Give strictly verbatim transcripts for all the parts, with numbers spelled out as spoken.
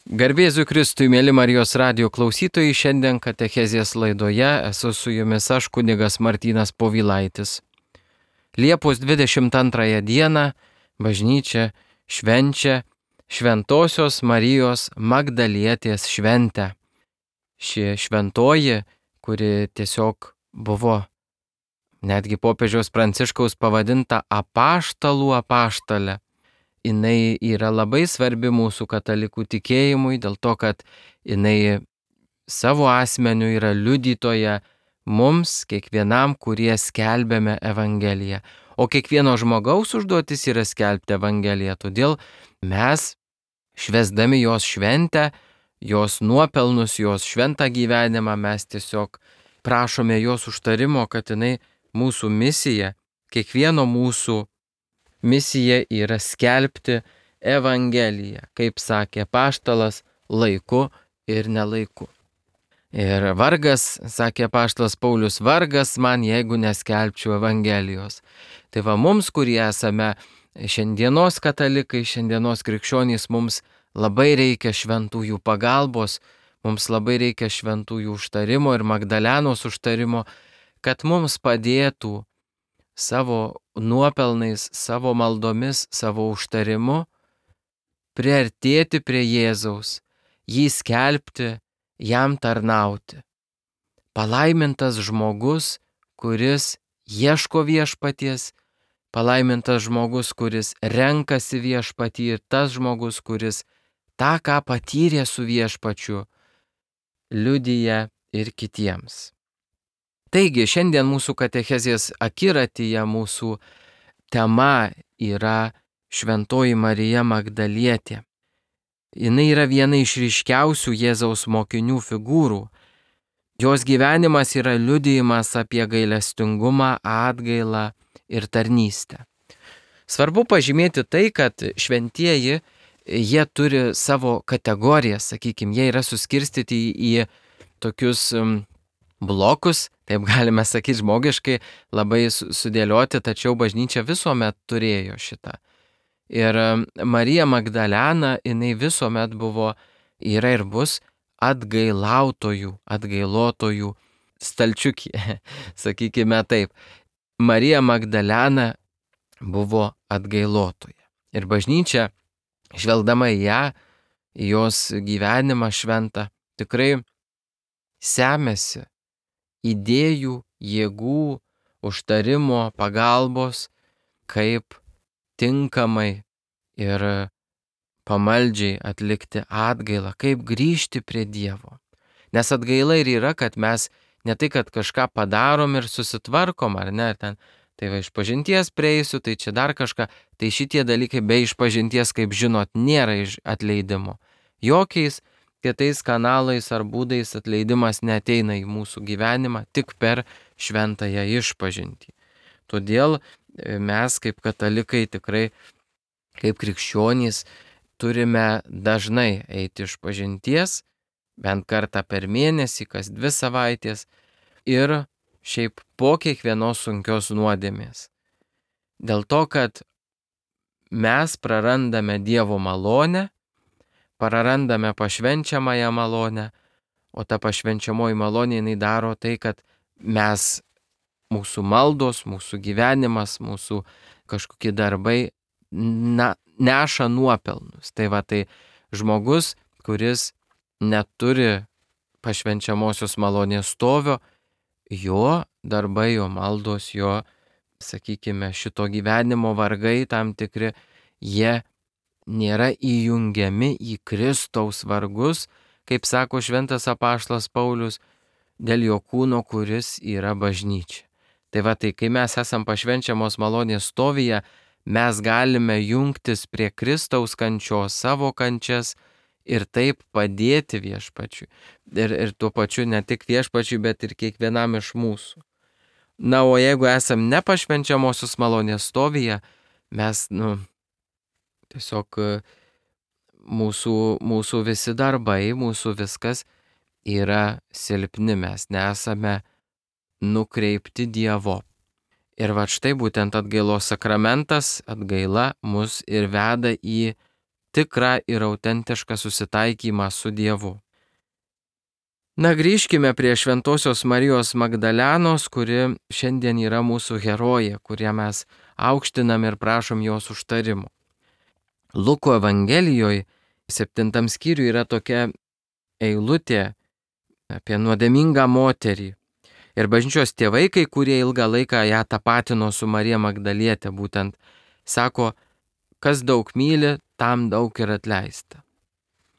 Garbėsiu Kristui, mėly Marijos radijo klausytojai, šiandien katechezės laidoje esu su jumis aš, kunigas Martynas Povilaitis. Liepos dvidešimt antrąją dieną bažnyčia švenčia Šventosios Marijos Magdalietės šventę. Ši šventoji, kuri tiesiog buvo netgi popiežiaus Pranciškaus pavadinta apaštalų apaštalė, jinai yra labai svarbi mūsų katalikų tikėjimui, dėl to, kad jinai savo asmeniu yra liudytoja mums, kiekvienam, kurie skelbėme Evangeliją. O kiekvieno žmogaus užduotis yra skelbti Evangeliją, todėl mes, švęsdami jos šventę, jos nuopelnus, jos šventą gyvenimą, mes tiesiog prašome jos užtarimo, kad jinai mūsų misija, kiekvieno mūsų misija yra skelbti Evangeliją, kaip sakė apaštalas, laiku ir nelaiku. Ir vargas, sakė apaštalas Paulius, vargas man, jeigu neskelbčiau Evangelijos. Tai va mums, kurie esame šiandienos katalikai, šiandienos krikščionys, mums labai reikia šventųjų pagalbos, mums labai reikia šventųjų užtarimo ir Magdalenos užtarimo, kad mums padėtų savo nuopelnais, savo maldomis, savo užtarimu priartėti prie Jėzaus, jį skelbti, jam tarnauti. Palaimintas žmogus, kuris ieško viešpaties, palaimintas žmogus, kuris renkasi viešpatį, ir tas žmogus, kuris tą, ką patyrė su viešpačiu, liudija ir kitiems. Taigi, šiandien mūsų katechezės akiratyje mūsų tema yra Šventoji Marija Magdalietė. Jis yra viena iš ryškiausių Jėzaus mokinių figūrų. Jos gyvenimas yra liudijimas apie gailestingumą, atgailą ir tarnystę. Svarbu pažymėti tai, kad šventieji, jie turi savo kategorijas, sakykime, jie yra suskirstyti į tokius blokus, taip galime sakyti žmogiškai, labai sudėlioti, tačiau bažnyčia visuomet turėjo šitą. Ir Marija Magdalena, jinai visuomet buvo, yra ir bus atgailautojų, atgailotojų stalčiukė, sakykime taip. Marija Magdalena buvo atgailotoja. Ir bažnyčia, žvelgdama į ją, į jos gyvenimą šventą, tikrai semėsi idėjų, jėgų, užtarimo, pagalbos, kaip tinkamai ir pamaldžiai atlikti atgailą, kaip grįžti prie Dievo. Nes atgaila ir yra, kad mes ne tai, kad kažką padarom ir susitvarkom, ar ne, ten, tai va išpažinties prieisiu, tai čia dar kažką, tai šitie dalykai be išpažinties, kaip žinot, nėra atleidimo. Jokiais kitais kanalais ar būdais atleidimas neateina į mūsų gyvenimą, tik per šventąją išpažintį. Todėl mes kaip katalikai tikrai, kaip krikščionys, turime dažnai eiti išpažinties, bent kartą per mėnesį, kas dvi savaitės, ir šiaip po kiekvienos sunkios nuodėmės. Dėl to, kad mes prarandame Dievo malonę, prarandame pašvenčiamąją malonę, o ta pašvenčiamoji malonė jinai daro tai, kad mes, mūsų maldos, mūsų gyvenimas, mūsų kažkokie darbai na, neša nuopelnus. Tai va, tai žmogus, kuris neturi pašvenčiamosios malonės stovio, jo darbai, jo maldos, jo, sakykime, šito gyvenimo vargai tam tikri, jie nėra įjungiami į Kristaus vargus, kaip sako šventas apaštalas Paulius, dėl jo kūno, kuris yra bažnyčia. Tai va, tai kai mes esam pašvenčiamos malonės stovyje, mes galime jungtis prie Kristaus kančios, savo kančias ir taip padėti viešpačiui. Ir, ir tuo pačiu ne tik viešpačiui, bet ir kiekvienam iš mūsų. Na, o jeigu esam nepašvenčiamosios malonės stovyje, mes, nu, tiesiog mūsų, mūsų visi darbai, mūsų viskas yra silpni, mes nesame nukreipti Dievo. Ir va štai būtent atgailos sakramentas, atgaila mus ir veda į tikrą ir autentišką susitaikymą su Dievu. Na, grįžkime prie Šventosios Marijos Magdalenos, kuri šiandien yra mūsų herojė, kurią mes aukštinam ir prašom jos užtarimo. Luko Evangelijoje septintam skyriui yra tokia eilutė apie nuodėmingą moterį. Ir bažnyčios tėvai, kai kurie ilgą laiką ją tapatino su Marija Magdalietė, būtent sako, kas daug myli, tam daug ir atleista.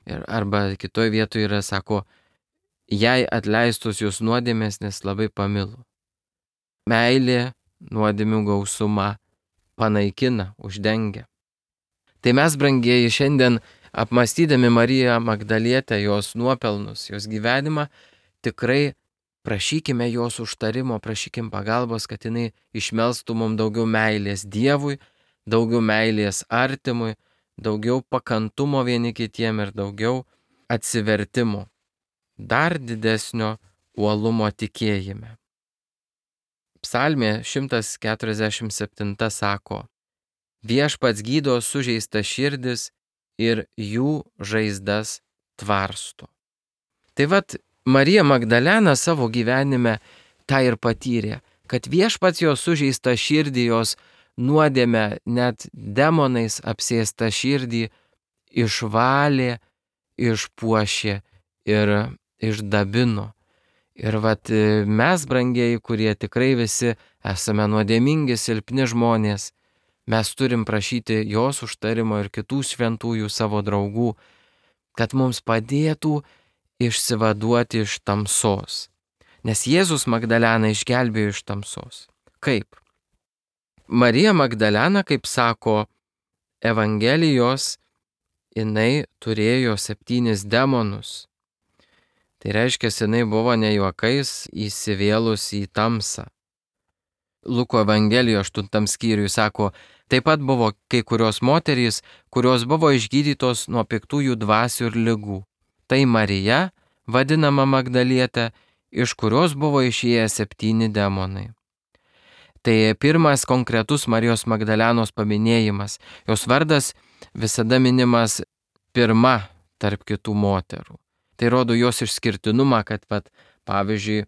Ir arba kitoje vietoje yra, sako, jai atleistos jos nuodėmės, nes labai pamilo. Meilė nuodėmių gausumą panaikina, uždengia. Tai mes, brangieji, šiandien apmąstydami Mariją Magdalietę, jos nuopelnus, jos gyvenimą, tikrai prašykime jos užtarimo, prašykim pagalbos, kad jinai išmelstų mums daugiau meilės Dievui, daugiau meilės artimui, daugiau pakantumo vieni kitiem ir daugiau atsivertimo, dar didesnio uolumo tikėjime. Psalmė šimtas keturiasdešimt septyni sako, viešpats gydo sužeistas širdis ir jų žaizdas tvarsto. Tai vat, Marija Magdalena savo gyvenime tą ir patyrė, kad viešpats jos sužeistą širdį, jos nuodėmę, net demonais apsėstą širdį išvalė, išpuošė ir išdabino. Ir vat mes, brangieji, kurie tikrai visi esame nuodėmingi, silpni žmonės, mes turim prašyti jos užtarimo ir kitų šventųjų savo draugų, kad mums padėtų išsivaduoti iš tamsos. Nes Jėzus Magdaleną išgelbėjo iš tamsos. Kaip? Marija Magdalena, kaip sako Evangelijos, jinai turėjo septynis demonus. Tai reiškia, jinai buvo ne juokais įsivėlus į tamsą. Luko Evangelijoje aštuntam skyriui sako, taip pat buvo kai kurios moterys, kurios buvo išgydytos nuo piktųjų dvasių ir ligų. Tai Marija, vadinama Magdalietė, iš kurios buvo išėję septyni demonai. Tai pirmas konkretus Marijos Magdalenos paminėjimas. Jos vardas visada minimas pirma tarp kitų moterų. Tai rodo jos išskirtinumą, kad, pat, pavyzdžiui,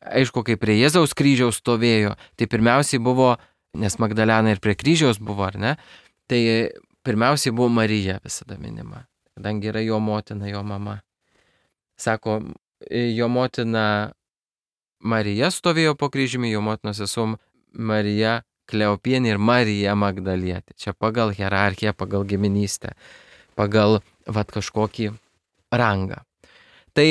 aišku, kai prie Jėzaus kryžiaus stovėjo, tai pirmiausiai buvo, nes Magdalena ir prie kryžiaus buvo, ar ne, tai pirmiausiai buvo Marija visada minima, kadangi yra jo motina, jo mama. Sako, jo motina Marija stovėjo po kryžiumi, jo motinos sesuo Marija Kleopienė ir Marija Magdalietė. Čia pagal hierarchiją, pagal giminystę, pagal vat kažkokį rangą. Tai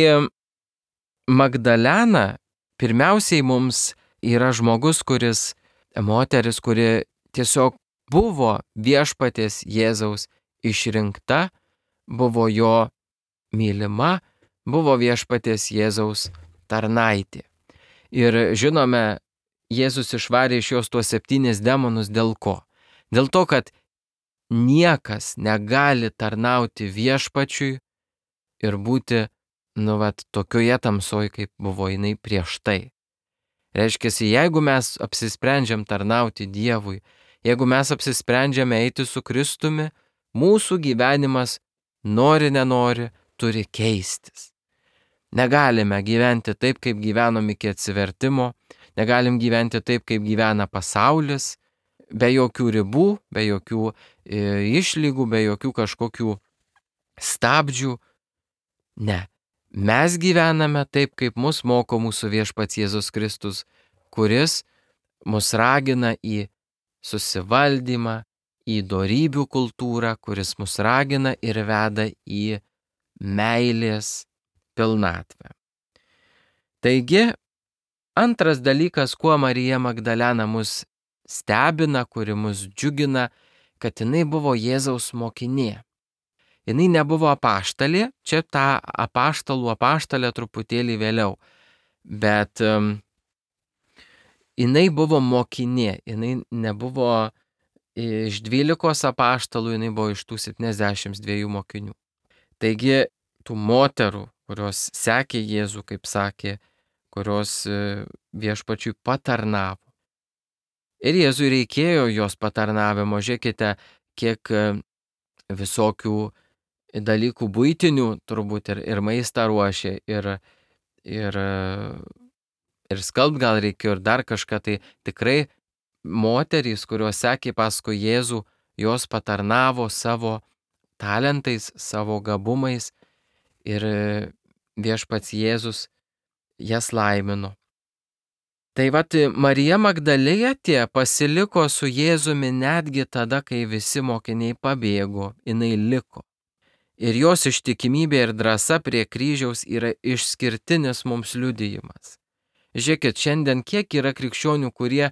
Magdalena pirmiausiai mums yra žmogus, kuris, moteris, kuri tiesiog buvo viešpaties Jėzaus išrinkta, buvo jo mylima, buvo viešpaties Jėzaus tarnaitė. Ir žinome, Jėzus išvarė iš jos tuos septynis demonus dėl ko? Dėl to, kad niekas negali tarnauti viešpačiui ir būti, nu, vat, tokioje tamsoje, kaip buvo jinai prieš tai. Reiškia, jeigu mes apsisprendžiam tarnauti Dievui, jeigu mes apsisprendžiame eiti su Kristumi, mūsų gyvenimas, nori nenori, turi keistis. Negalime gyventi taip, kaip gyvenom iki atsivertimo, negalim gyventi taip, kaip gyvena pasaulis, be jokių ribų, be jokių e, išlygų, be jokių kažkokių stabdžių. Ne, mes gyvename taip, kaip mus moko mūsų viešpats Jėzus Kristus, kuris mus ragina į susivaldymą, į dorybių kultūrą, kuris mus ragina ir veda į meilės pilnatvę. Taigi, antras dalykas, kuo Marija Magdalena mus stebina, kuri mus džiugina, kad jinai buvo Jėzaus mokinė. Jinai nebuvo apaštalė, čia tą apaštalų apaštalę truputėlį vėliau, bet um, jinai buvo mokinė, jinai nebuvo iš dvylikos apaštalų, jinai buvo iš tų septyniasdešimt dviejų mokinių. Taigi, tų moterų, kurios sekė Jėzų, kaip sakė, kurios viešpačiui patarnavo. Ir Jėzui reikėjo jos patarnavimo. Žiūrėkite, kiek visokių dalykų buitinių, turbūt ir, ir maistą ruošė, ir, ir, ir skalbt gal reikėjo, ir dar kažką. Tai tikrai moterys, kurios sekė paskui Jėzų, jos patarnavo savo talentais, savo gabumais, ir viešpats Jėzus jas laimino. Tai vat Marija Magdalietė pasiliko su Jėzumi netgi tada, kai visi mokiniai pabėgo, jinai liko. Ir jos ištikimybė ir drąsa prie kryžiaus yra išskirtinis mums liudijimas. Žiūrėkit, šiandien kiek yra krikščionių, kurie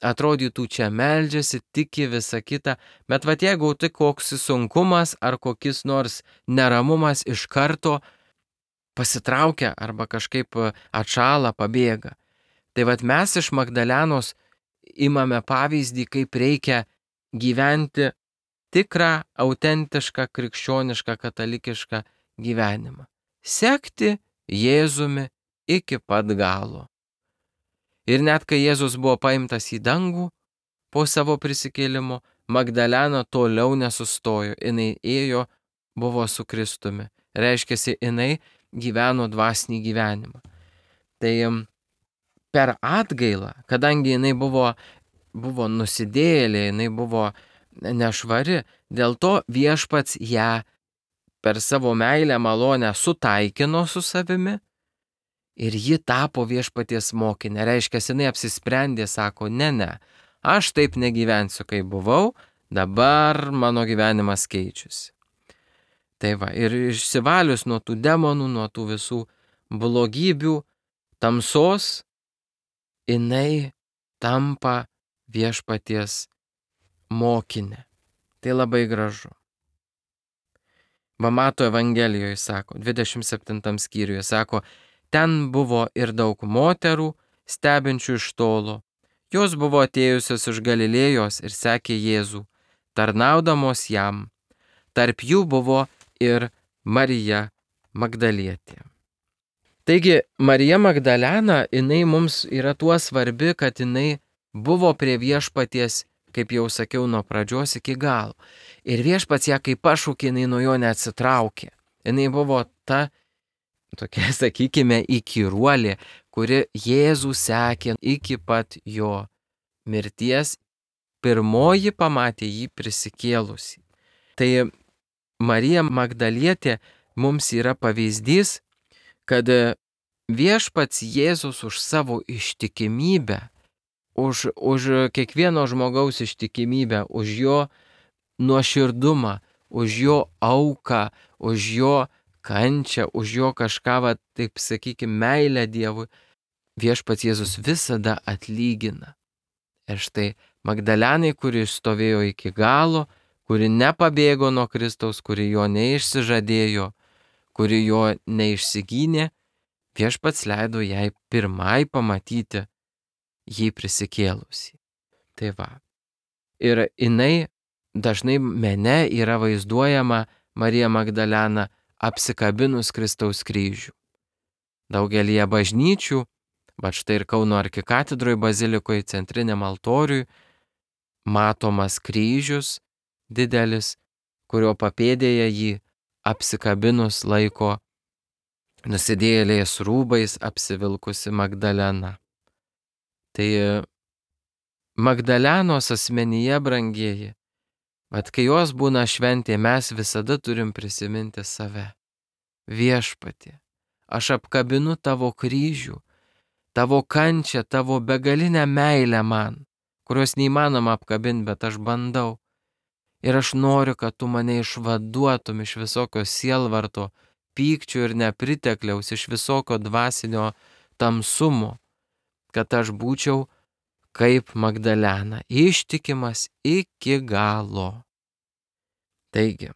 atrodytų čia meldžiasi, tiki visą kitą, bet vat jeigu tai koks sunkumas ar kokis nors neramumas, iš karto pasitraukia arba kažkaip atšala, pabėga. Tai vat mes iš Magdalenos imame pavyzdį, kaip reikia gyventi tikrą, autentišką, krikščionišką, katalikišką gyvenimą. Sekti Jėzumi iki pat galo. Ir net kai Jėzus buvo paimtas į dangų po savo prisikėlimo, Magdalena toliau nesustojo. Jinai ėjo, buvo su Kristumi. Reiškiasi, jinai gyveno dvasinį gyvenimą. Tai per atgailą, kadangi jinai buvo, buvo nusidėjėlė, jinai buvo nešvari, dėl to viešpats ją per savo meilę malonę sutaikino su savimi ir ji tapo viešpaties mokinė. Reiškia, jinai apsisprendė, sako, ne, ne, aš taip negyvensiu, kaip buvau, dabar mano gyvenimas keičiasi. Tai va, ir išsivalius nuo tų demonų, nuo tų visų blogybių, tamsos, jinai tampa viešpaties mokinė. Tai labai gražu. Va Mato Evangelijoje sako, dvidešimt septintam skyriuje sako, ten buvo ir daug moterų, stebinčių iš tolo. Jos buvo atėjusios iš Galilėjos ir sekė Jėzų, tarnaudamos jam. Tarp jų buvo ir Marija Magdalietė. Taigi, Marija Magdalena, jinai mums yra tuo svarbi, kad jinai buvo prie viešpaties, kaip jau sakiau, nuo pradžios iki galo. Ir viešpats ją kaip pašaukė, jinai nuo jo neatsitraukė. Jinai buvo ta, tokia, sakykime, įkyruolė, kuri Jėzų sekė iki pat jo mirties. Pirmoji pamatė jį prisikėlusį. Tai Marija Magdalietė mums yra pavyzdys, kad viešpats Jėzus už savo ištikimybę, už, už kiekvieno žmogaus ištikimybę, už jo nuoširdumą, už jo auką, už jo kančią, už jo kažką, va, taip sakykime, meilę Dievui, viešpats Jėzus visada atlygina. Ir štai Magdalenai, kuri stovėjo iki galo, kuri nepabėgo nuo Kristaus, kuri jo neišsižadėjo, kuri jo neišsigynė, viešpats leido jai pirmai pamatyti jį prisikėlusį. Tai va. Ir jinai dažnai mene yra vaizduojama Marija Magdalena apsikabinus Kristaus kryžių. Daugelįje bažnyčių, bet štai ir Kauno arkikatedroje bazilikoje centriniam altoriui, matomas kryžius didelis, kurio papėdėje jį apsikabinus laiko nusidėjėlės rūbais apsivilkusi Magdalena. Tai Magdalenos asmenyje, brangieji, bet kai jos būna šventė, mes visada turim prisiminti save. Viešpatie, aš apkabinu tavo kryžių, tavo kančią, tavo begalinę meilę man, kurios neįmanoma apkabinti, bet aš bandau. Ir aš noriu, kad tu mane išvaduotum iš visokio sielvarto, pykčių ir nepritekliaus, iš visokio dvasinio tamsumo, kad aš būčiau kaip Magdalena, ištikimas iki galo. Taigi,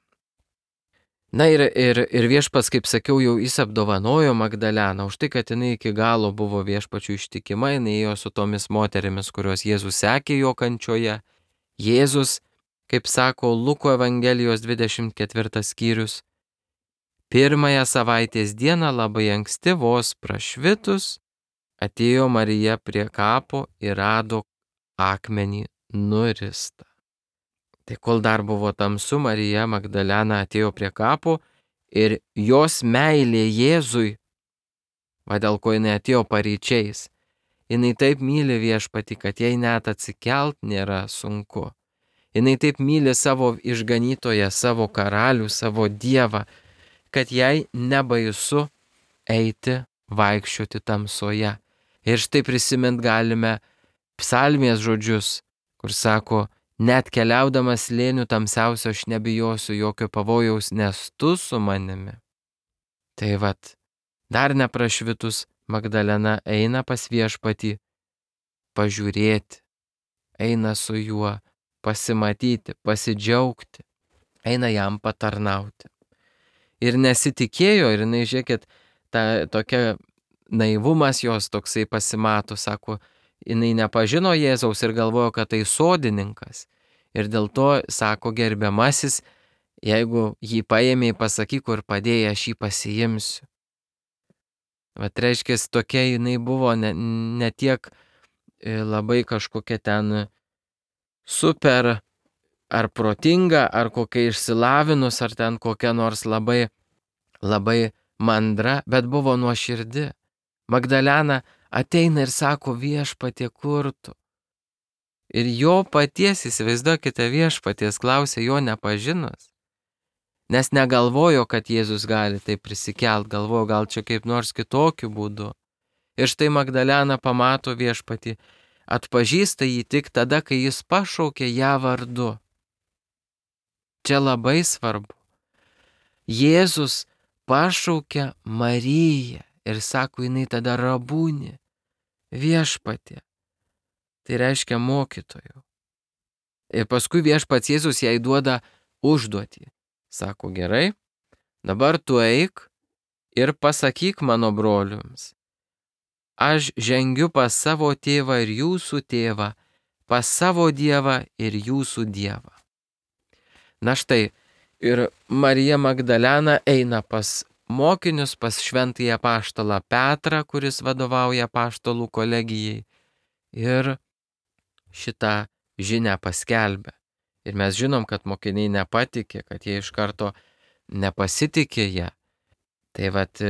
na ir, ir, ir viešpats, kaip sakiau, jau jis apdovanojo Magdaleną už tai, kad jinai iki galo buvo viešpačių ištikima, jinai ėjo su tomis moterimis, kurios Jėzus sekė jo kančioje. Jėzus, kaip sako Luko Evangelijos dvidešimt ketvirtas skyrius, pirmąją savaitės dieną labai anksti vos prašvitus atėjo Marija prie kapo ir rado akmenį nuristą. Tai kol dar buvo tamsu, Marija Magdalena atėjo prie kapo ir jos meilė Jėzui, va dėl ko jinai atėjo paryčiais, jinai taip myli Viešpatį, kad jai net atsikelt nėra sunku. Jinai taip myli savo išganytoją, savo karalių, savo dievą, kad jai nebaisu eiti, vaikščioti tamsoje. Ir štai prisimint galime psalmės žodžius, kur sako, net keliaudamas slėnių tamsiausio aš nebijosiu jokio pavojaus, nes tu su manimi. Tai vat, dar neprašvitus Magdalena eina pas Viešpatį pažiūrėti, eina su juo pasimatyti, pasidžiaugti, eina jam patarnauti. Ir nesitikėjo, ir jinai, žiūrėkit, ta tokia naivumas jos toksai pasimato, sako, jinai nepažino Jėzaus ir galvojo, kad tai sodininkas. Ir dėl to, sako, gerbiamasis, jeigu jį paėmė, pasakyk, kur padėjai, aš jį pasiimsiu. Vat reiškia, tokia jinai buvo ne, ne tiek labai kažkokia ten super ar protinga, ar kokia išsilavinus, ar ten kokia nors labai, labai mandra, bet buvo nuoširdi. Magdalena ateina ir sako, Viešpatie, kur tu? Ir jo paties, įsivaizduokite, Viešpaties klausė jo nepažinus. Nes negalvojo, kad Jėzus gali taip prisikelt, galvojo gal čia kaip nors kitokiu būdu. Ir štai Magdalena pamato Viešpatį, atpažįsta jį tik tada, kai jis pašaukė ją vardu. Čia labai svarbu. Jėzus pašaukė Mariją ir sako, jinai tada Rabūni, Viešpatie. Tai reiškia mokytojų. Ir paskui Viešpats Jėzus jai duoda užduotį. Sako, gerai, dabar tu eik ir pasakyk mano broliams. Aš žengiu pas savo tėvą ir jūsų tėvą, pas savo dievą ir jūsų dievą. Na štai, ir Marija Magdalena eina pas mokinius, pas šventąjį apaštalą Petrą, kuris vadovauja apaštalų kolegijai, ir šitą žinią paskelbė. Ir mes žinom, kad mokiniai nepatikė, kad jie iš karto nepasitikė ją. Tai vat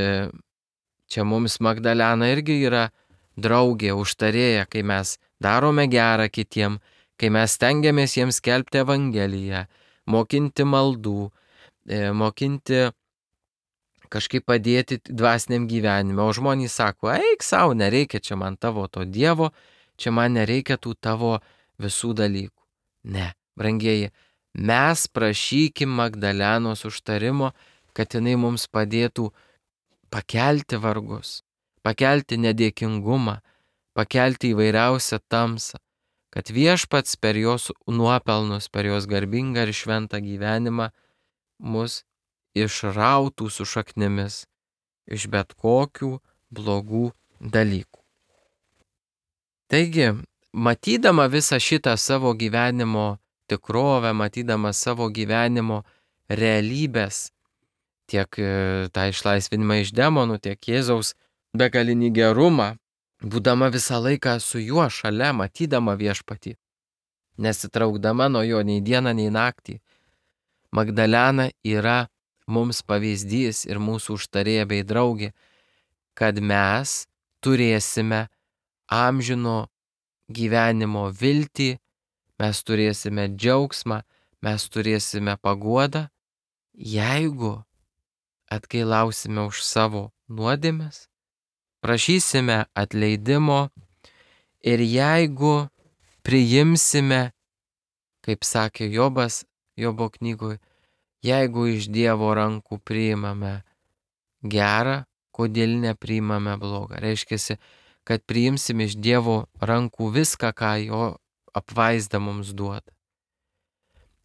čia mums Magdalena irgi yra draugė, užtarėja, kai mes darome gerą kitiem, kai mes stengiamės jiems skelbti Evangeliją, mokinti maldų, mokinti kažkaip padėti dvasiniam gyvenime. O žmonės sako, eik savo, nereikia čia man tavo to Dievo, čia man nereikia tų tavo visų dalykų. Ne. Brangieji, mes prašykim Magdalenos užtarimo, kad jinai mums padėtų pakelti vargus, pakelti nedėkingumą, pakelti įvairiausią tamsą, kad Viešpats per jos nuopelnus, per jos garbingą ir šventą gyvenimą mus išrautų su šaknimis iš bet kokių blogų dalykų. Taigi, matydama visą šitą savo gyvenimo tikrovę, matydama savo gyvenimo realybės, tiek tą išlaisvinimą iš demonų, tiek Jėzaus begalinį gerumą, būdama visą laiką su juo šalia, matydama Viešpatį, nesitraukdama nuo jo nei dieną, nei naktį, Magdalena yra mums pavyzdys ir mūsų užtarėja bei draugė, kad mes turėsime amžino gyvenimo viltį, mes turėsime džiaugsmą, mes turėsime paguodą, jeigu atgailausime už savo nuodėmes, prašysime atleidimo ir jeigu priimsime, kaip sakė Jobas Jobo knygoje, jeigu iš Dievo rankų priimame gerą, kodėl nepriimame blogą. Reiškiasi, kad priimsim iš Dievo rankų viską, ką jo apvaizda mums duoda.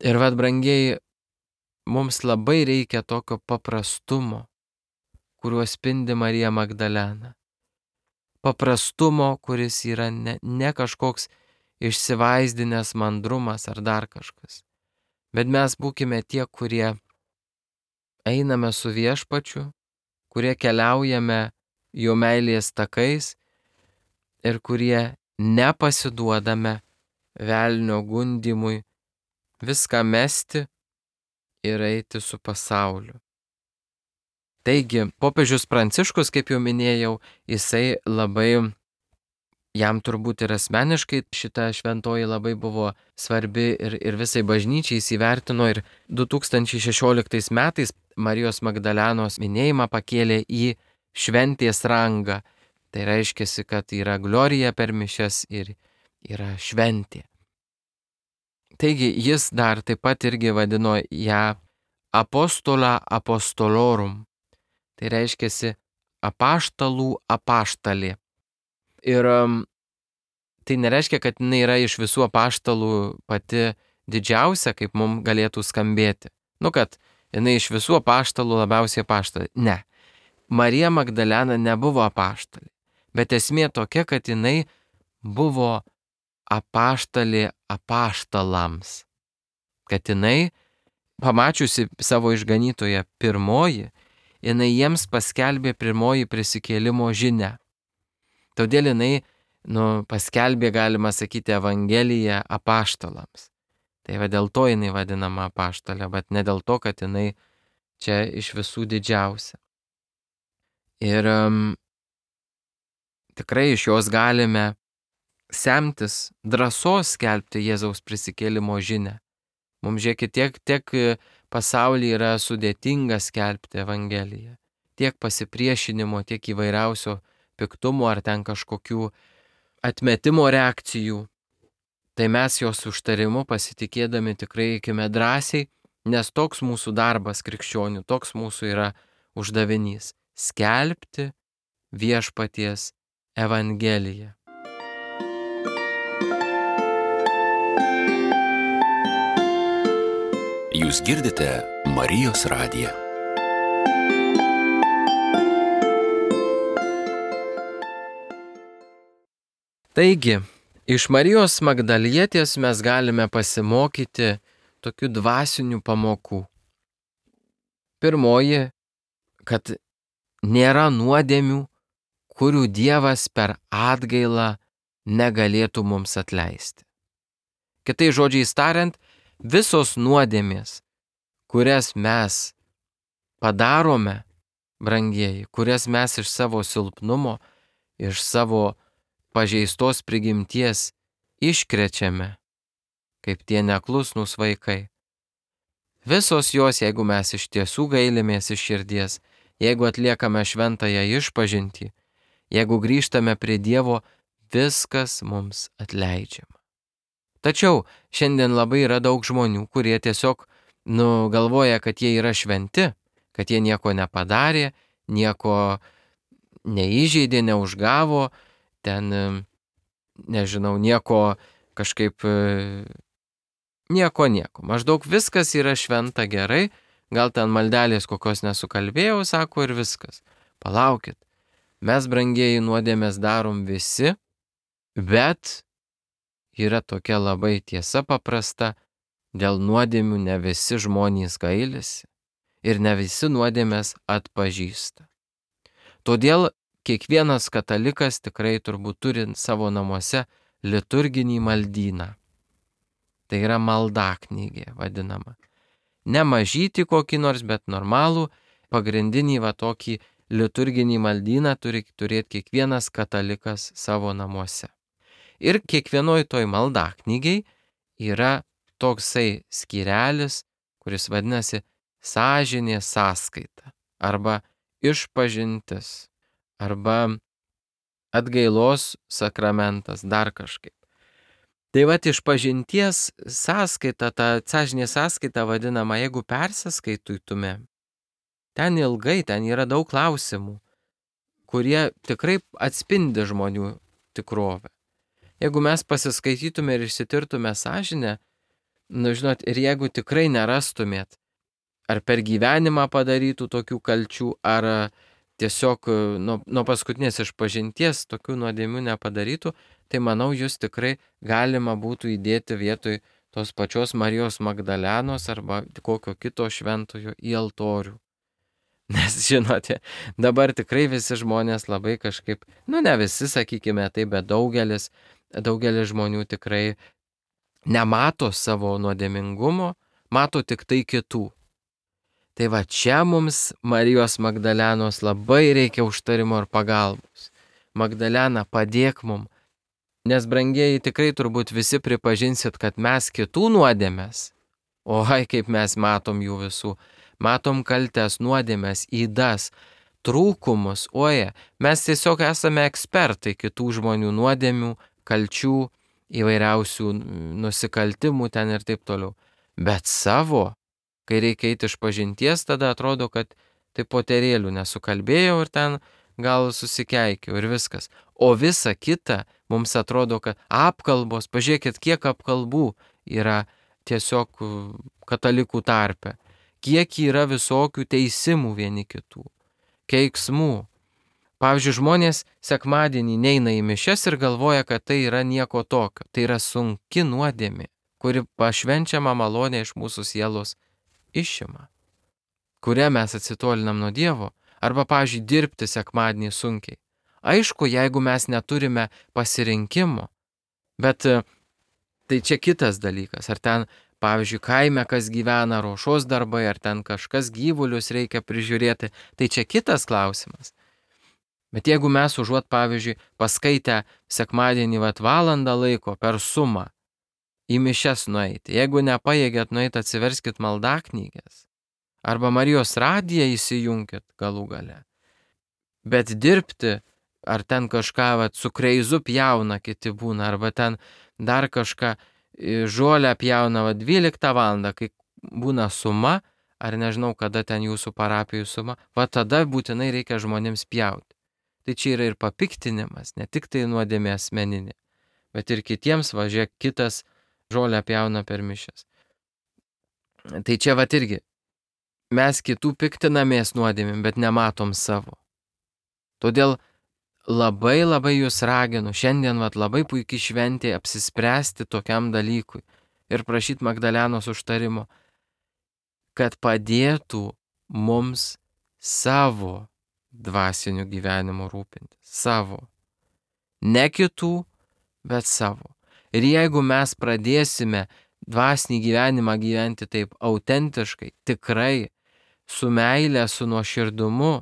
Ir vad, brangieji, mums labai reikia tokio paprastumo, kuriuo spindi Marija Magdalena. Paprastumo, kuris yra ne, ne kažkoks išsivaizdinęs mandrumas ar dar kažkas. Bet mes būkime tie, kurie einame su Viešpačiu, kurie keliaujame jo meilės takais ir kurie nepasiduodame velnio gundymui viską mesti ir eiti su pasauliu. Taigi, popiežius Pranciškus, kaip jau minėjau, jisai labai, jam turbūt ir asmeniškai šita šventoji labai buvo svarbi ir, ir visai bažnyčiai įsivertino ir du tūkstančiai šešioliktais metais Marijos Magdalenos minėjimą pakėlė į šventės rangą. Tai reiškia, kad yra glorija per mišias ir yra šventė. Taigi jis dar taip pat irgi vadino ją apostola apostolorum. Tai reiškia apaštalų apaštalė. Ir um, tai nereiškia, kad jinai yra iš visų apaštalų pati didžiausia, kaip mums galėtų skambėti. Nu, kad jinai iš visų apaštalų labiausiai apaštalė. Ne. Marija Magdalena nebuvo apaštalė. Bet esmė tokia, kad jinai buvo apaštalė apaštalams. Kad jinai, pamačiusi savo išganytoją pirmoji, jinai jiems paskelbė pirmoji prisikėlimo žinią. Todėl jinai nu, paskelbė, galima sakyti, Evangeliją apaštalams. Tai va dėl to jinai vadinama apaštalė, bet ne dėl to, kad jinai čia iš visų didžiausia. Ir um, tikrai iš jos galime semtis drąsos skelbti Jėzaus prisikėlimo žinią. Mums žiūrėkit, tiek, tiek pasaulyje yra sudėtinga skelbti Evangeliją. Tiek pasipriešinimo, tiek įvairiausio piktumo ar ten kažkokių atmetimo reakcijų. Tai mes jos užtarimu pasitikėdami tikrai eikime drąsiai, nes toks mūsų darbas krikščionių, toks mūsų yra uždavinys – skelbti viešpaties Evangeliją. Jūs girdite Marijos radiją. Taigi, iš Marijos Magdalietės mes galime pasimokyti tokių dvasinių pamokų. Pirmoji, kad nėra nuodėmių, kurių Dievas per atgailą negalėtų mums atleisti. Kitais žodžiais tariant, visos nuodėmės, kurias mes padarome, brangieji, kurias mes iš savo silpnumo, iš savo pažeistos prigimties iškrečiame, kaip tie neklusnūs vaikai. Visos jos, jeigu mes iš tiesų gailimės iš širdies, jeigu atliekame šventąją išpažintį, jeigu grįžtame prie Dievo, viskas mums atleidžiama. Tačiau šiandien labai yra daug žmonių, kurie tiesiog nu, galvoja, kad jie yra šventi, kad jie nieko nepadarė, nieko neįžeidė, neužgavo, ten, nežinau, nieko kažkaip, nieko, nieko. Maždaug viskas yra šventa gerai, gal ten maldelės kokios nesukalbėjau, sako, ir viskas. Palaukit, mes, brangieji, nuodėmės darom visi, bet yra tokia labai tiesa paprasta, dėl nuodėmių ne visi žmonės gailisi ir ne visi nuodėmės atpažįsta. Todėl kiekvienas katalikas tikrai turbūt turi savo namuose liturginį maldyną. Tai yra maldaknygė vadinama. Ne mažyti kokį nors, bet normalų, pagrindinį va tokį liturginį maldyną turi turėti kiekvienas katalikas savo namuose. Ir kiekvienoj toj maldaknygiai yra toksai skyrelis, kuris vadinasi sąžinės sąskaita arba išpažintis arba atgailos sakramentas, dar kažkaip. Tai vat išpažinties sąskaita, ta sąžinės sąskaita vadinama, jeigu persiskaitytume, ten ilgai, ten yra daug klausimų, kurie tikrai atspindi žmonių tikrovę. Jeigu mes pasiskaitytume ir išsitirtume sąžinę, nu žinot, ir jeigu tikrai nerastumėt, ar per gyvenimą padarytų tokių kalčių, ar tiesiog nuo, nuo paskutinės išpažinties tokių nuodėmių nepadarytų, tai manau, jūs tikrai galima būtų įdėti vietoj tos pačios Marijos Magdalenos arba kokio kito šventojo į altorių. Nes, žinote, dabar tikrai visi žmonės labai kažkaip, nu ne visi, sakykime, tai, bet daugelis, daugelis žmonių tikrai nemato savo nuodėmingumo, mato tik tai kitų. Tai va čia mums Marijos Magdalenos labai reikia užtarimo ir pagalbos. Magdalena, padėk mum, nes brangieji tikrai turbūt visi pripažinsit, kad mes kitų nuodėmės, o hai kaip mes matom jų visų, matom kaltes, nuodėmės, įdas, trūkumus, oje, mes tiesiog esame ekspertai kitų žmonių nuodėmių, kalčių, įvairiausių nusikaltimų ten ir taip toliau. Bet savo, kai reikia eiti iš pažinties, tada atrodo, kad tai poterėlių nesukalbėjau ir ten gal susikeikiau ir viskas. O visa kita mums atrodo, kad apkalbos, pažiūrėkit, kiek apkalbų yra tiesiog katalikų tarpe, kiek yra visokių teisimų vieni kitų, keiksmų. Pavyzdžiui, žmonės sekmadienį neina į mišias ir galvoja, kad tai yra nieko tokio. Tai yra sunki nuodėmė, kuri pašvenčiama malonė iš mūsų sielos išima, kurią mes atsitolinam nuo Dievo. Arba, pavyzdžiui, dirbti sekmadienį sunkiai. Aišku, jeigu mes neturime pasirinkimo, bet tai čia kitas dalykas. Ar ten, pavyzdžiui, kaime kas gyvena, ruošos darbai, ar ten kažkas gyvulius reikia prižiūrėti, tai čia kitas klausimas. Bet jeigu mes užuot, pavyzdžiui, paskaitę sekmadienį vat valandą laiko per sumą į mišias nueiti, jeigu nepajėgėt nueiti, atsiverskit maldaknyges, arba Marijos radiją įsijunkit galų gale. Bet dirbti, ar ten kažką vat, su kreizu pjauna kiti būna, arba ten dar kažką žolę pjauna vat, dvyliktą valandą, kai būna suma, ar nežinau, kada ten jūsų parapijų suma, va tada būtinai reikia žmonėms pjauti. Tai čia yra ir papiktinimas, ne tik tai nuodėmė asmeninė, bet ir kitiems, važiuok, kitas žolę pjauna per mišias. Tai čia vat irgi, mes kitų piktinamės nuodėmėm, bet nematom savo. Todėl labai labai jūs raginu, šiandien vat labai puikiai šventė apsispręsti tokiam dalykui ir prašyti Magdalenos užtarimo, kad padėtų mums savo dvasiniu gyvenimu rūpintis. Savo. Ne kitų, bet savo. Ir jeigu mes pradėsime dvasinį gyvenimą gyventi taip autentiškai, tikrai, su meile, su nuoširdumu,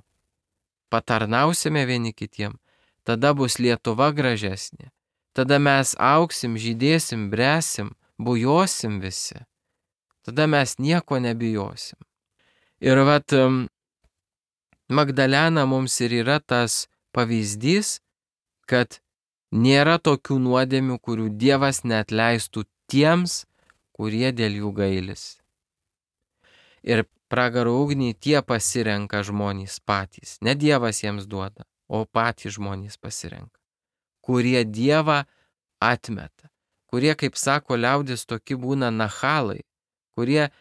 patarnausime vieni kitiem, tada bus Lietuva gražesnė. Tada mes augsim, žydėsim, bresim, bujosim visi. Tada mes nieko nebijosim. Ir vat Magdalena mums ir yra tas pavyzdys, kad nėra tokių nuodėmių, kurių Dievas neatleistų tiems, kurie dėl jų gailis. Ir pragaro ugnį tie pasirenka žmonės patys. Ne Dievas jiems duoda, o patys žmonės pasirenka. Kurie Dievą atmeta. Kurie, kaip sako liaudis, tokie būna nachalai. Kurie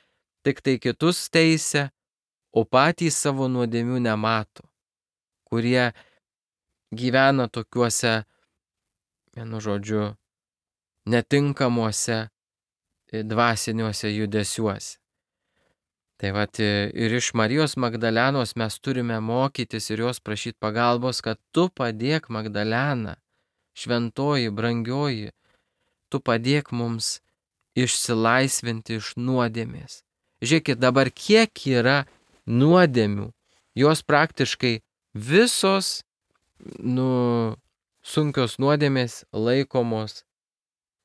tik tai kitus teisia, o patys savo nuodėmių nemato. Kurie gyvena tokiuose, vienu žodžiu, netinkamuose dvasiniuose judesiuose. Tai vat ir iš Marijos Magdalenos mes turime mokytis ir jos prašyti pagalbos, kad tu padėk, Magdalena, šventoji, brangioji, tu padėk mums išsilaisvinti iš nuodėmės. Žiūrėkit, dabar kiek yra nuodėmių, jos praktiškai visos nu, sunkios nuodėmės laikomos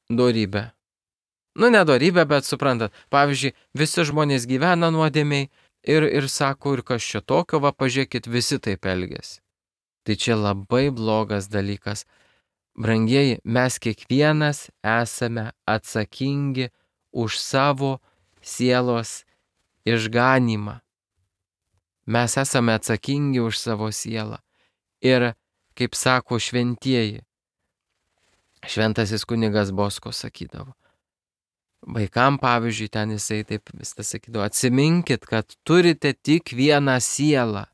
dorybė. Nu, ne dorybė, bet suprantat, pavyzdžiui, visi žmonės gyvena nuodėmiai ir, ir sako, ir kas čia tokio, va, pažiūrėkit, visi taip elgiasi. Tai čia labai blogas dalykas. Brangieji, mes kiekvienas esame atsakingi už savo sielos išganymą. Mes esame atsakingi už savo sielą. Ir, kaip sako šventieji, šventasis kunigas Bosko sakydavo, vaikam, pavyzdžiui, ten jisai taip visą sakydavo, atsiminkit, kad turite tik vieną sielą.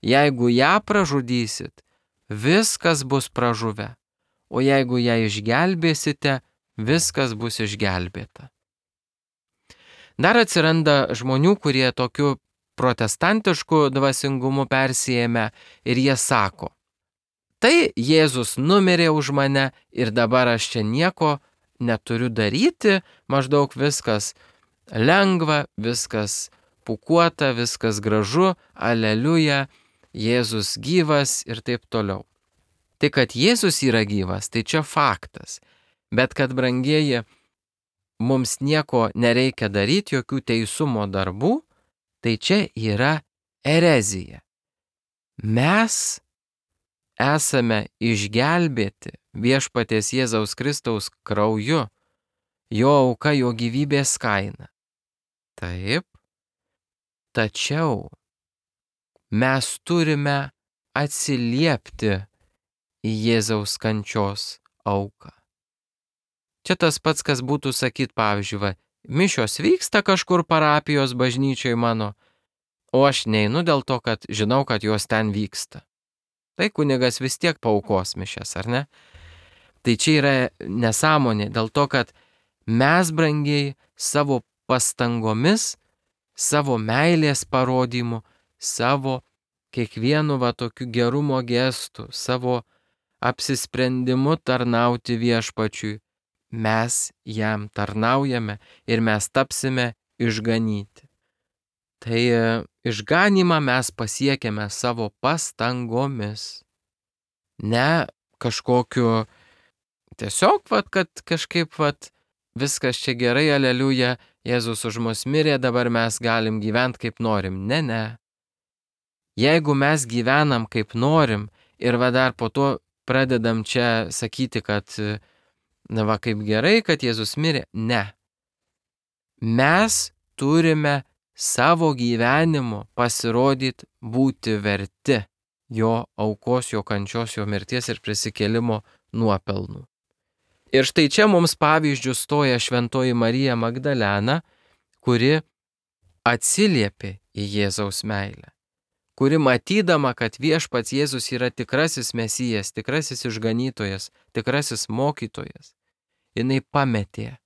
Jeigu ją pražudysit, viskas bus pražuvę. O jeigu ją išgelbėsite, viskas bus išgelbėta. Dar atsiranda žmonių, kurie tokiu protestantišku dvasingumu persijėmė ir jie sako, tai Jėzus numirė už mane ir dabar aš čia nieko neturiu daryti, maždaug viskas lengva, viskas pūkuota, viskas gražu, aleliuja, Jėzus gyvas ir taip toliau. Tai, kad Jėzus yra gyvas, tai čia faktas. Bet kad, brangieji, mums nieko nereikia daryti, jokių teisumo darbų, tai čia yra erezija. Mes esame išgelbėti viešpaties Jėzaus Kristaus krauju, jo auka, jo gyvybės kaina. Taip, tačiau mes turime atsiliepti į Jėzaus kančios auką. Čia tas pats, kas būtų sakyt, pavyzdžiui, va, mišios vyksta kažkur parapijos bažnyčioj mano, o aš neinu dėl to, kad žinau, kad jos ten vyksta. Tai kunigas vis tiek paaukos mišias, ar ne? Tai čia yra nesąmonė, dėl to, kad mes, brangiai, savo pastangomis, savo meilės parodymu, savo kiekvienu va tokiu gerumo gestu, savo apsisprendimu tarnauti viešpačiui, mes jam tarnaujame ir mes tapsime išganyti. Tai išganimą mes pasiekėme savo pastangomis. Ne kažkokiu tiesiog, vat, kad kažkaip vat, viskas čia gerai, aleliuja, Jėzus už mus mirė, dabar mes galim gyventi kaip norim. Ne, ne. Jeigu mes gyvenam kaip norim ir va dar po to pradedam čia sakyti, kad na va kaip gerai, kad Jėzus mirė, ne. Mes turime savo gyvenimu pasirodyti būti verti jo aukos, jo kančios, jo mirties ir prisikėlimo nuopelnų. Ir štai čia mums pavyzdžių stoja šventoji Marija Magdalena, kuri atsiliepė į Jėzaus meilę, kuri matydama, kad viešpats Jėzus yra tikrasis Mesijas, tikrasis išganytojas, tikrasis mokytojas, jinai pametė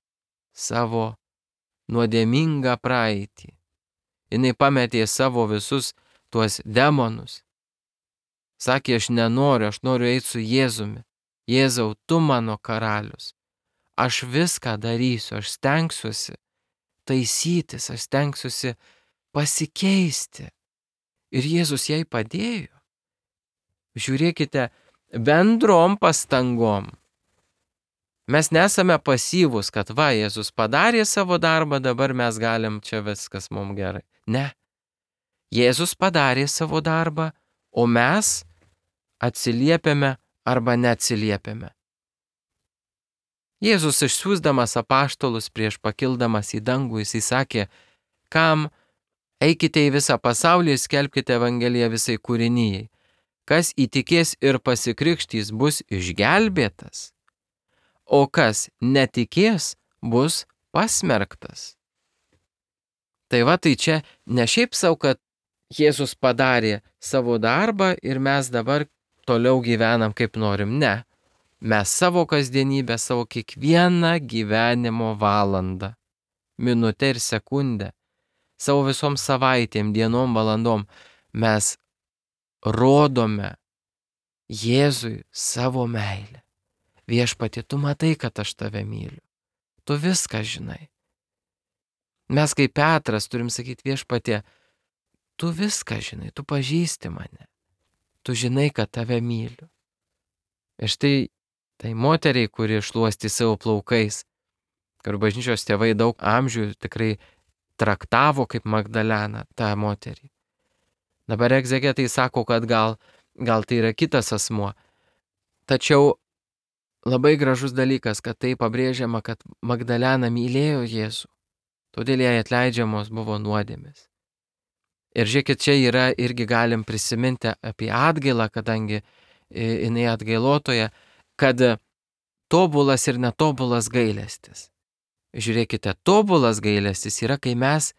savo nuodėmingą praeitį. Jinai pametė savo visus tuos demonus. Sakė, aš nenoriu, aš noriu eiti su Jėzumi. Jėzau, tu mano karalius. Aš viską darysiu, aš stengsiuosi taisytis, aš stengsiuosi pasikeisti. Ir Jėzus jai padėjo. Žiūrėkite, bendrom pastangom. Mes nesame pasyvūs, kad va, Jėzus padarė savo darbą, dabar mes galim čia viskas mums gerai. Ne. Jėzus padarė savo darbą, o mes atsiliepiame arba neatsiliepiame. Jėzus išsiųsdamas apaštalus prieš pakildamas į dangų, jis įsakė, kam eikite į visą pasaulį ir skelbkite Evangeliją visai kūrinijai. Kas įtikės ir pasikrikštys, bus išgelbėtas, o kas netikės, bus pasmerktas. Tai va, tai čia ne šiaip savo, kad Jėzus padarė savo darbą ir mes dabar toliau gyvenam kaip norim. Ne. Mes savo kasdienybę, savo kiekvieną gyvenimo valandą, minutę ir sekundę, savo visom savaitėm, dienom, valandom mes rodome Jėzui savo meilę. Viešpatie, tu matai, kad aš tave myliu. Tu viską žinai. Mes kaip Petras turim sakyti, viešpatie, tu viską žinai, tu pažįsti mane. Tu žinai, kad tave myliu. Ir štai tai moteriai, kuri šluosti savo plaukais, kur bažnyčios tėvai daug amžių tikrai traktavo kaip Magdaleną tą moterį. Dabar egzegetai sako, kad gal, gal tai yra kitas asmuo. Tačiau labai gražus dalykas, kad tai pabrėžiama, kad Magdalena mylėjo Jėzų, todėl jai atleidžiamos buvo nuodėmės. Ir žiūrėkit, čia yra irgi galim prisiminti apie atgailą, kadangi jinai atgailotoja, kad tobulas ir netobulas gailestis. Žiūrėkite, tobulas gailestis yra, kai mes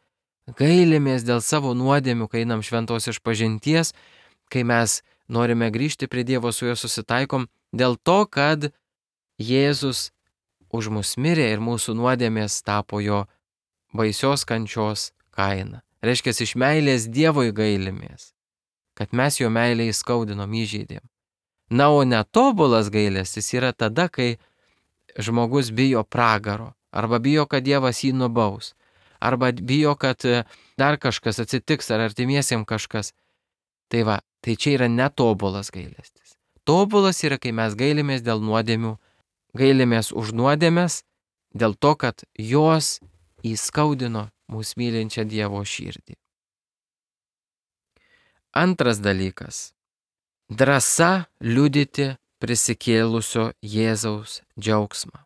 gailimės dėl savo nuodėmių, kai einam šventos išpažinties, kai mes norime grįžti prie Dievo, su juo susitaikom, dėl to, kad Jėzus už mus mirė ir mūsų nuodėmės tapo jo baisios kančios kaina. Reiškia, iš meilės Dievui gailimės, kad mes jo meilę įskaudinom, įžeidėm. Na, o netobulas gailestis yra tada, kai žmogus bijo pragaro, arba bijo, kad Dievas jį nubaus, arba bijo, kad dar kažkas atsitiks, ar artimiesiems kažkas. Tai va, tai čia yra netobulas gailestis. Tobulas yra, kai mes gailimės dėl nuodėmių, gailimės už nuodėmės, dėl to, kad jos įskaudino mūsų mylinčią Dievo širdį. Antras dalykas. Drąsa liudyti prisikėlusio Jėzaus džiaugsmą.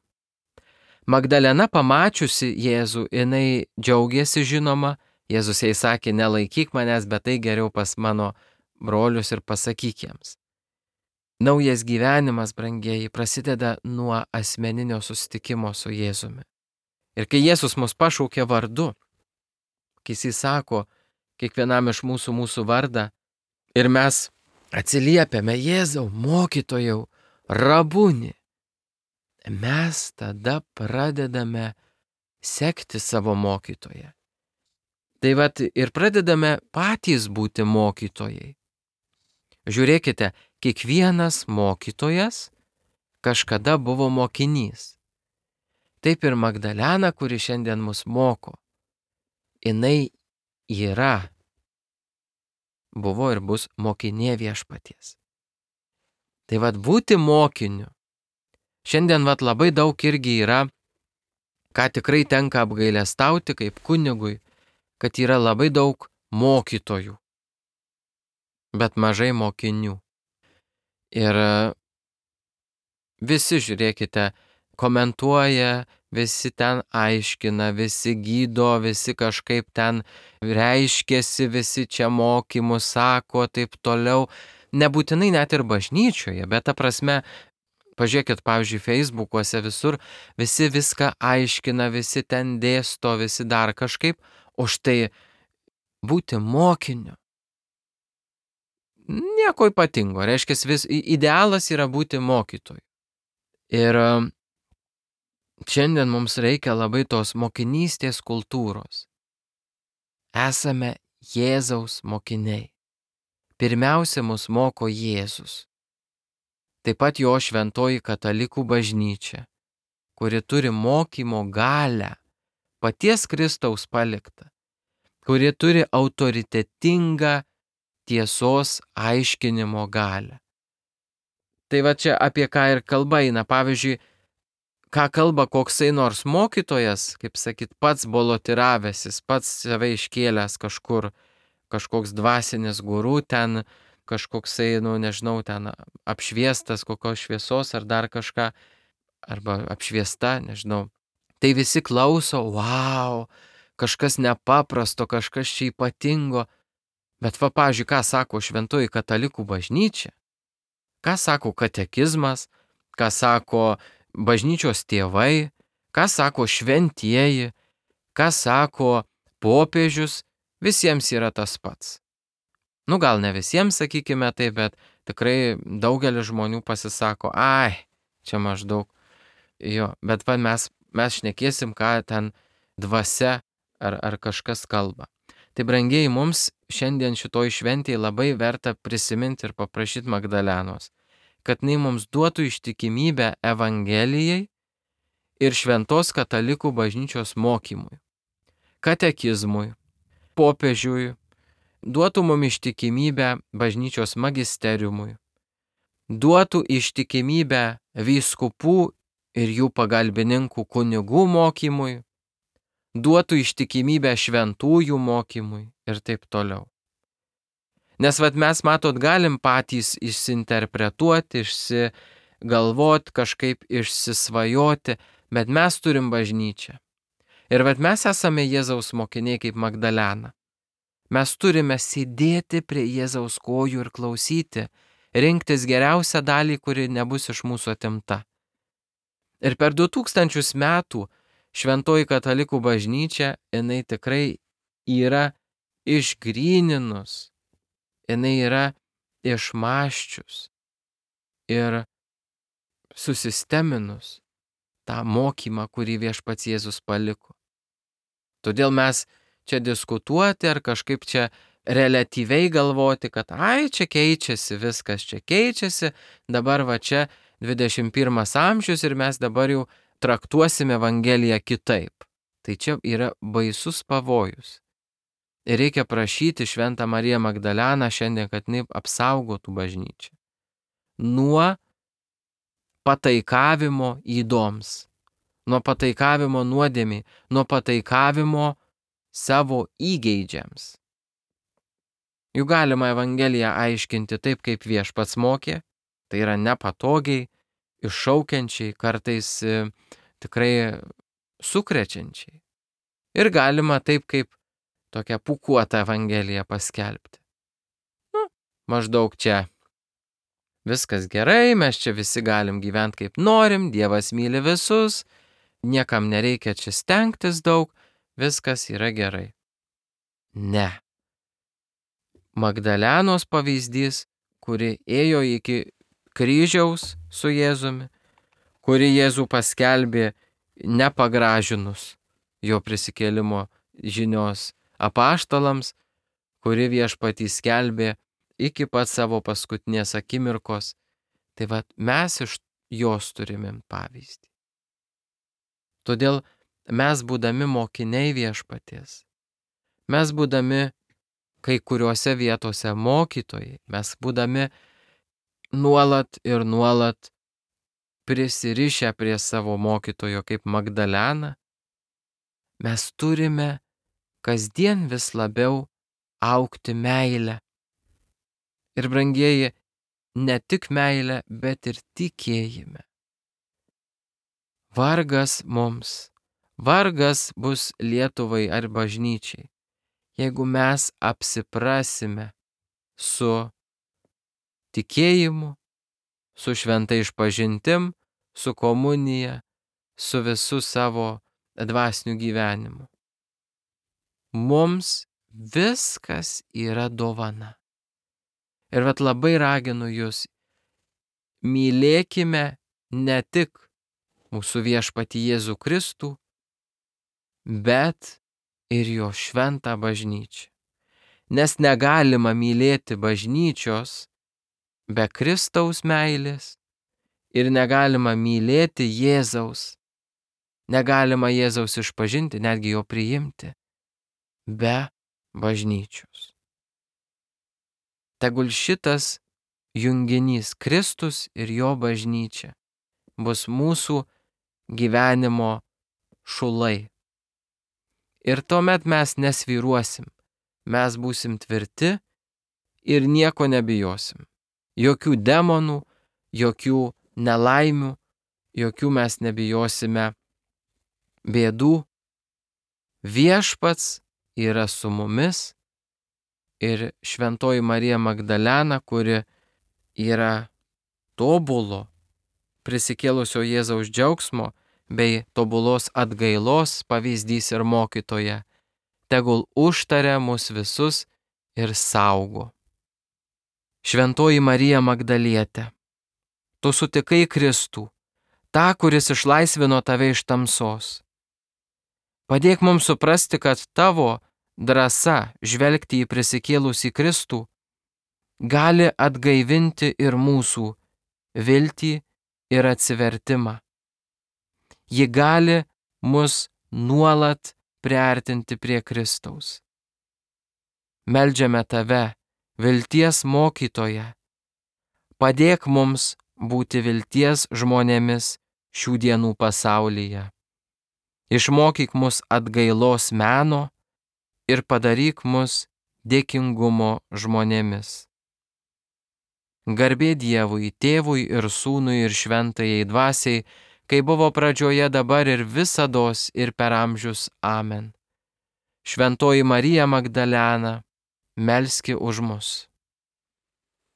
Magdalena pamačiusi Jėzų, jinai džiaugiasi žinoma, Jėzus jai sakė, nelaikyk manęs, bet tai geriau pas mano brolius ir pasakyk jiems. Naujas gyvenimas, brangieji, prasideda nuo asmeninio susitikimo su Jėzumi. Ir kai Jėzus mus pašaukė vardu, kai jis sako kiekvienam iš mūsų mūsų vardą, ir mes atsiliepiame Jėzau, mokytojau, rabuni, mes tada pradedame sekti savo mokytoją. Tai vat ir pradedame patys būti mokytojai. Žiūrėkite, kiekvienas mokytojas kažkada buvo mokinys. Taip ir Magdalena, kuri šiandien mus moko, jinai yra, buvo ir bus mokinė viešpaties. Tai vat būti mokiniu. Šiandien vat labai daug irgi yra, ką tikrai tenka apgailestauti kaip kunigui, kad yra labai daug mokytojų, bet mažai mokinių. Ir visi, žiūrėkite, komentuoja, visi ten aiškina, visi gydo, visi kažkaip ten reiškėsi, visi čia mokymus sako, taip toliau. Nebūtinai net ir bažnyčioje, bet ta prasme, pažiūrėkit, pavyzdžiui, Facebookuose visur, visi viską aiškina, visi ten dėsto, visi dar kažkaip, o štai būti mokiniu. Nieko ypatingo, reiškia, vis, idealas yra būti mokytoju. Ir šiandien mums reikia labai tos mokinystės kultūros. Esame Jėzaus mokiniai. Pirmiausia, mus moko Jėzus. Taip pat jo šventoji katalikų bažnyčia, kuri turi mokymo galią, paties Kristaus paliktą, kuri turi autoritetingą tiesos aiškinimo galią. Tai va čia apie ką ir kalba eina. Pavyzdžiui, ką kalba koksai nors mokytojas, kaip sakyt, pats bolotiravęsis, pats save iškėlęs kažkur, kažkoks dvasinis guru ten, kažkoksai, nu nežinau, ten apšviestas kokios šviesos ar dar kažką, arba apšviesta, nežinau. Tai visi klauso, wow, kažkas nepaprasto, kažkas čia ypatingo. Bet va, pavyzdžiui, ką sako šventoji katalikų bažnyčia, ką sako katekizmas, ką sako bažnyčios tėvai, ką sako šventieji, ką sako popiežius, visiems yra tas pats. Nu gal ne visiems, sakykime taip, bet tikrai daugelis žmonių pasisako, ai, čia maždaug. Jo, bet va mes, mes šnekėsim, ką ten dvasia ar, ar kažkas kalba. Tai brangieji, mums šiandien šitoj šventėje labai verta prisiminti ir paprašyti Magdalenos, kad jinai mums duotų ištikimybę Evangelijai ir šventos katalikų bažnyčios mokymui, katekizmui, popiežiui, duotų mums ištikimybę bažnyčios magisteriumui, duotų ištikimybę vyskupų ir jų pagalbininkų kunigų mokymui, duotų ištikimybę šventųjų mokymui ir taip toliau. Nes vat mes, matot, galim patys išsinterpretuoti, išsigalvoti, kažkaip išsisvajoti, bet mes turim bažnyčią. Ir vat mes esame Jėzaus mokiniai kaip Magdalena. Mes turime sėdėti prie Jėzaus kojų ir klausyti, rinktis geriausią dalį, kuri nebus iš mūsų atimta. Ir per du tūkstančius metų šventoji katalikų bažnyčia, jinai tikrai yra išgryninus, jinai yra išmąsčius ir susisteminus tą mokymą, kurį viešpats Jėzus paliko. Todėl mes čia diskutuoti ar kažkaip čia reliatyviai galvoti, kad ai, čia keičiasi, viskas čia keičiasi, dabar va čia dvidešimt pirmas amžius ir mes dabar jau traktuosime Evangeliją kitaip. Tai čia yra baisus pavojus. Ir reikia prašyti Šventą Mariją Magdaleną šiandien, kad jinai apsaugotų bažnyčią nuo pataikavimo įdoms, nuo pataikavimo nuodėmei, nuo pataikavimo savo įgeidžiams. Juk galima Evangeliją aiškinti taip, kaip Viešpats mokė, tai yra nepatogiai, iššaukiančiai, kartais e, tikrai sukrečiančiai. Ir galima taip, kaip tokią pūkuotą Evangeliją paskelbti. Nu, maždaug čia viskas gerai, mes čia visi galim gyventi kaip norim, Dievas myli visus, niekam nereikia čia stengtis daug, viskas yra gerai. Ne. Magdalenos pavyzdys, kuri ėjo iki kryžiaus su Jėzumi, kuri Jėzų paskelbė nepagražinus jo prisikėlimo žinios apaštalams, kuri Viešpatį skelbė iki pat savo paskutinės akimirkos. Tai vat mes iš jos turime pavyzdį. Todėl mes būdami mokiniai Viešpaties, mes būdami kai kuriuose vietose mokytojai, mes būdami nuolat ir nuolat prisirišę prie savo mokytojo kaip Magdalena, mes turime kasdien vis labiau augti meilę. Ir brangieji, ne tik meilę, bet ir tikėjime. Vargas mums, vargas bus Lietuvai ar bažnyčiai, jeigu mes apsiprasime su tikėjimu, su šventa išpažintim, su komunija, su visu savo dvasiniu gyvenimu. Mums viskas yra dovana. Ir vat labai raginu jūs, mylėkime ne tik mūsų Viešpatį Jėzų Kristų, bet ir jo šventą bažnyčią. Nes negalima mylėti bažnyčios be Kristaus meilės ir negalima mylėti Jėzaus, negalima Jėzaus išpažinti, netgi jo priimti, be bažnyčios. Tegul šitas junginys Kristus ir jo bažnyčia bus mūsų gyvenimo šulai. Ir tuomet mes nesvyruosim, mes būsim tvirti ir nieko nebijosim. Jokių demonų, jokių nelaimių, jokių mes nebijosime bėdų. Viešpats yra su mumis. Ir šventoji Marija Magdalena, kuri yra tobulo, prisikėlusio Jėzaus džiaugsmo bei tobulos atgailos pavyzdys ir mokytoja, tegul užtaria mus visus ir saugo. Šventoji Marija Magdalietė, tu sutikai Kristų, tą, kuris išlaisvino tave iš tamsos. Padėk mums suprasti, kad tavo drąsa žvelgti į prisikėlusį Kristų gali atgaivinti ir mūsų viltį ir atsivertimą. Ji gali mus nuolat priartinti prie Kristaus. Meldžiame tave, vilties mokytoja, padėk mums būti vilties žmonėmis šių dienų pasaulyje. Išmokyk mus atgailos meno ir padaryk mus dėkingumo žmonėmis. Garbė Dievui, Tėvui ir Sūnui ir Šventajai Dvasiai, kai buvo pradžioje, dabar ir visados ir per amžius. Amen. Šventoji Marija Magdalena, melski už mus.